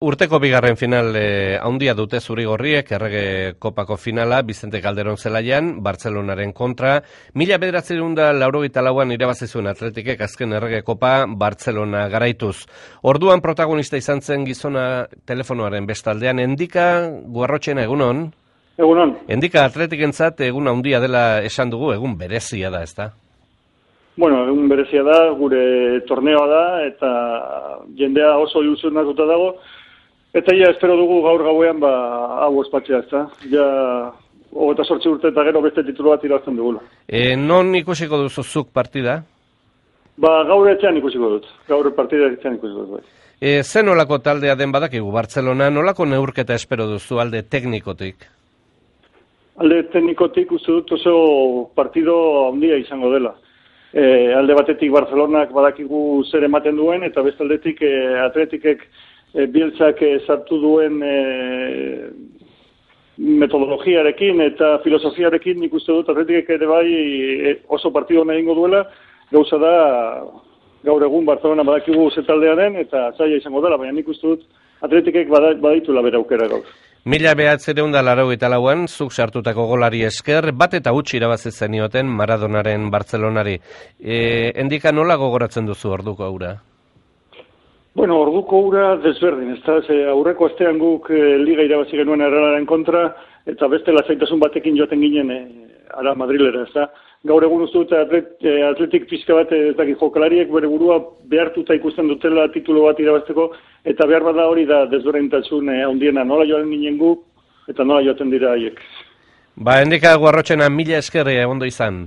Urteko bigarren final handia dute Zurigorriek, Errege Kopako finala, Vicente Calderón zelaian, Bartzelonaren kontra. 1984an irabazi zuen Atletikek azken Errege Kopa Bartzelona garaituz. Orduan protagonista izan zen gizona telefonoaren bestaldean. Endika Guarrotxena, egunon? Egunon. Endika Atletikentzat egun handia dela esan dugu, egun berezia da, ezta? Bueno, egun berezia da, gure torneoa da, eta jendea oso ilusionatuta dago. Eta ja, espero dugu gaur gauean hau ospatzea, ezta? Ja, 28 urte eta gero beste titulu bat irabazten dugula. Non ikusiko duzu zuk partida? Gaur etxean ikusiko dut. Gaur partida etxean ikusiko dut. Zen nolako taldea den badakigu Bartzelona, nolako neurketa espero duzu alde teknikotik? Alde teknikotik uste dut oso partido handia izango dela. Alde batetik Barcelonak badakigu zer ematen duen, eta beste aldetik Atletikek Bieltzak sartu duen metodologiarekin eta filosofiarekin nik uste dut Atletikek ere bai oso partido hona egingo duela. Gauza da, gaur egun Barcelona badakigu ze taldea den eta zaila izango dela, baina nik uste dut Atletikek baditula bere aukera gaur. 1984an zuk sartutako golari esker, bat eta huts irabazi zenioten Maradonaren Bartzelonari. Endika nola gogoratzen duzu orduko aura? Bueno, orduko ura desberdin, ezta? Aurreko astean guk liga irabazi genuen Errealaren kontra, eta beste lasaitasun batekin joaten ginen ara Madrilera, ezta? Gaur egun uste dut Atletik pixka bat ez dakit jokalariek bere burua behartuta ikusten dutela titulu bat irabazteko, eta behar bada hori da desberdintasun handiena, nola joan ginen guk, eta nola joaten dira haiek. Endika Guarrotxena, mila esker ondo izan.